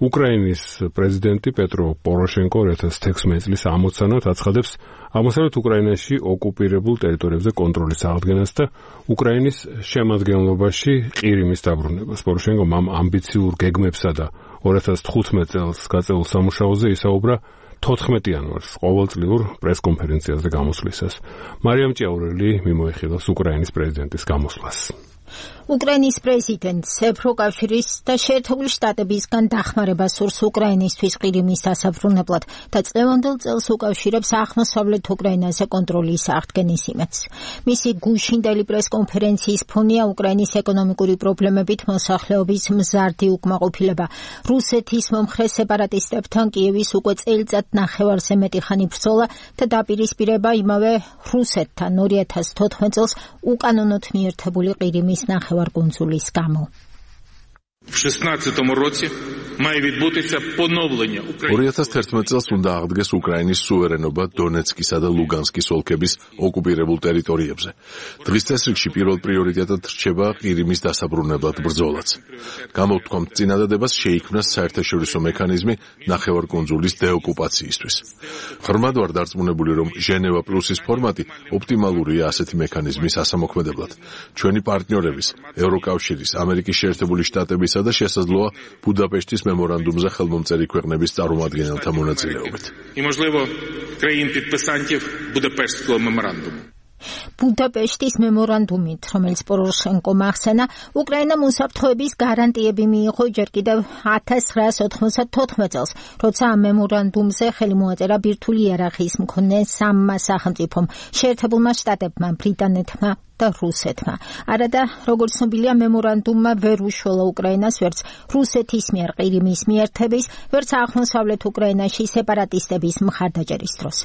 უკრაინის პრეზიდენტი პეტრო პოროშენკო 2016 წლის ამოცანად აცხადებს აღმოსავლეთ უკრაინაში ოკუპირებულ ტერიტორიებზე კონტროლის აღდგენას და უკრაინის შემადგენლობაში ყირიმის დაბრუნებას. პოროშენკომ ამ ამბიციურ გეგმებსა და 2015 წელს გაწეულ სამუშაოზე ისაუბრა 14 იანვარს ყოველწლიურ პრესკონფერენციაზე გამოსვლისას. მარიამ ჭიაურელი მიმოიხილავს უკრაინის პრეზიდენტის გამოსვლას. უკრაინის პრეზიდენტს ევროკავშირის და შეერთებული შტატებისგან დახმარება სურს უკრაინისთვის ყირიმის დასაბრუნებლად და წლევანდელ წელს უკავშირებს აღმოსავლეთ უკრაინაზე კონტროლის აღდგენის იმედს. მისი გუშინდელი პრესკონფერენციის ფონია უკრაინის ეკონომიკური პრობლემებით მოსახლეობის მზარდი უკმაყოფილება. რუსეთის მომხრე სეპარატისტებთან კიევის უკვე წელიწად ნახევარზე მეტი ხანი ბრძოლა და დაპირისპირება იმავე რუსეთთან 2014 წელს უკანონოდ მიერთებული ყირიმის ნახევარკუნძულის გამო. 2011 წელს უნდა აღდგეს უკრაინის სუვერენობა დონეცკისა და ლუგანსკის ოლქების ოკუპირებულ ტერიტორიებზე. დღის წესრიგში პირველ პრიორიტეტად რჩება ყირიმის დასაბრუნებლად ბრძოლაც. გამოვთქვამთ წინადადებას შეიქმნას საერთაშორისო მექანიზმი ნახევარკუნძულის დეოკუპაციისთვის. ღრმად ვარ დარწმუნებული, რომ ჟენევა პლუსის ფორმატი ოპტიმალურია ასეთი მექანიზმის ასამოქმედებლად. ჩვენი პარტნიორების, ევროკავშირის, ამერიკის შეერთებული შტატებისა და შესაძლოა ბუდაპეშტის მემორანდუმზე ხელმომწერი ქვეყნების წარმომადგენელთა მონაწილეობით. ბუდაპეშტის მემორანდუმით, რომელიც პოროშენკომ ახსენა, უკრაინამ უსაფრთხოების გარანტიები მიიღო ჯერ კიდევ 1994 წელს, როცა ამ მემორანდუმზე ხელი მოაწერა ბირთვული იარაღის მქონე სამმა სახელმწიფომ, შეერთებულმა შტატებმა, ბრიტანეთმა და რუსეთმა. არადა, როგორც ცნობილია, მემორანდუმმა ვერ უშველა უკრაინას ვერც რუსეთის მიერ ყირიმის მიერთების, ვერც აღმოსავლეთ უკრაინაში სეპარატისტების მხარდაჭერის დროს.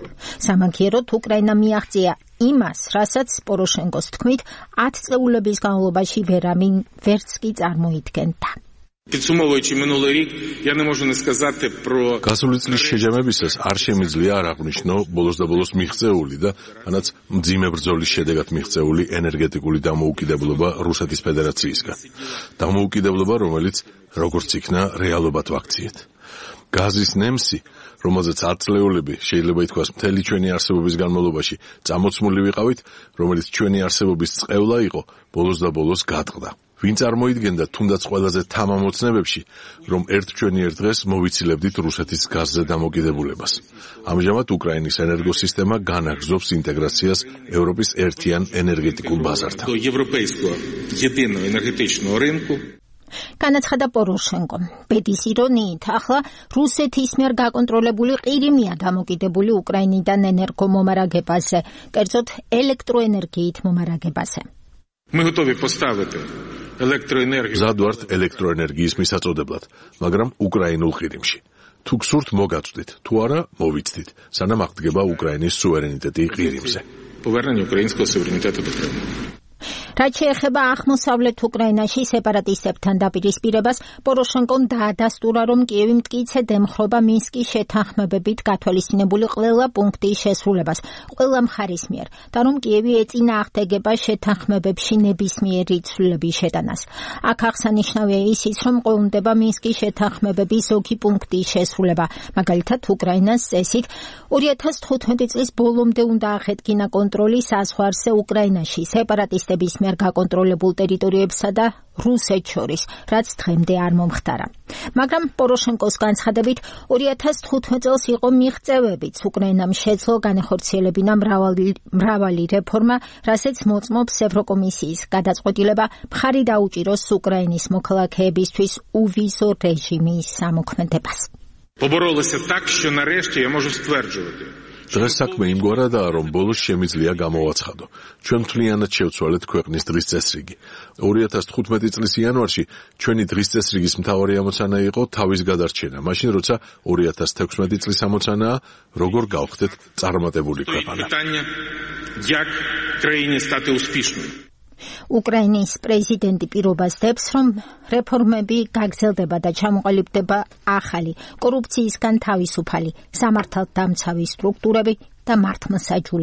სამაგიეროდ უკრაინა მიაღწია იმას, რასაც პოროშენკოს თქმით 10 წლების განმავლობაში ვერც კი წარმოიდგენდა. გასული წლის შეჯამებისას არ შემიძლია არ აღვნიშნო ბოლოს და ბოლოს მიღწეული და თანაც მძიმე ბრძოლის შედეგად მიღწეული ენერგეტიკული დამოუკიდებლობა რუსეთის ფედერაციისგან. დამოუკიდებლობა, რომელიც როგორც იქნა რეალობად ვაქციეთ. გაზის ნემსი, რომელზეც 10 წლეულები შეიძლება ითქვას მთელი ჩვენი არსებობის განმავლობაში წამოცმული ვიყავით, რომელიც ჩვენი არსებობის წყევლა იყო, ბოლოს და ბოლოს გადყდა. ვინ წარმოიდგენდა თუნდაც ყველაზე თამამ ოცნებებში, რომ ერთ დღეს მოვიცილებდით რუსეთის გაზზე დამოკიდებულებას. ამჟამად უკრაინის ენერგოსისტემა განაგრძობს ინტეგრაციას ევროპის ერთიან ენერგეტიკულ ბაზართან. განაცხადა პოროშენკომ. ბედის ირონიით, ახლა რუსეთის მიერ გაკონტროლებული ყირიმია დამოკიდებული უკრაინიდან ენერგომომარაგებაზე, კერძოდ ელექტროენერგიით მომარაგებაზე. მზად ვართ ელექტროენერგიის მისაწოდებლად, მაგრამ უკრაინულ ყირიმში. თუ გსურთ მოგაწვდით, თუ არა მოვიცდით, სანამ აღდგება უკრაინის სუვერენიტეტი ყირიმზე. რაც შეეხება აღმოსავლეთ უკრაინაში სეპარატისტებთან დაპირისპირებას, პოროშენკომ დაადასტურა, რომ კიევი მტკიცედ ემხრობა მინსკის შეთანხმებებით გათვალისწინებული ყველა პუნქტის შესრულებას ყველა მხარის მიერ და რომ კიევი ეწინააღმდეგება შეთანხმებებში ნებისმიერი ცვლილების შეტანას. აქ აღსანიშნავია ისიც, რომ ყოლმდება მინსკის შეთანხმებების ზოგი პუნქტის შესრულება, მაგალითად უკრაინას წესით 2015 წლის ბოლომდე უნდა აღედგინა კონტროლი საზღვარზე უკრაინაში სეპარატისტების მიერ გაკონტროლებულ ტერიტორიებსა და რუსეთს შორის, რაც დღემდე არ მომხდარა. მაგრამ პოროშენკოს განცხადებით 2015 წელს იყო მიღწევებიც, უკრაინამ შეძლო განეხორციელებინა მრავალი რეფორმა, რასაც მოწმობს ევროკომისიის გადაწყვეტილება მხარი დაუჭიროს უკრაინის მოქალაქეებისთვის უვიზო რეჟიმის სამოქმედებას. დღეს საქმე იმგვარადაა, რომ ბოლოს შემიძლია გამოვაცხადო. ჩვენ მთლიანად შევცვალეთ ქვეყნის დღის წესრიგი. 2015 წლის იანვარში ჩვენი დღის წესრიგის მთავარი ამოცანა იყო თავის გადარჩენა, მაშინ როცა 2016 წლის ამოცანაა, როგორ გავხდეთ წარმატებული ქვეყანა. უკრაინის პრეზიდენტი პირობას დებს, რომ რეფორმები გაგრძელდება და ჩამოყალიბდება ახალი, კორუფციისგან თავისუფალი, სამართალდამცავი სტრუქტურები და მართლმსაჯულები.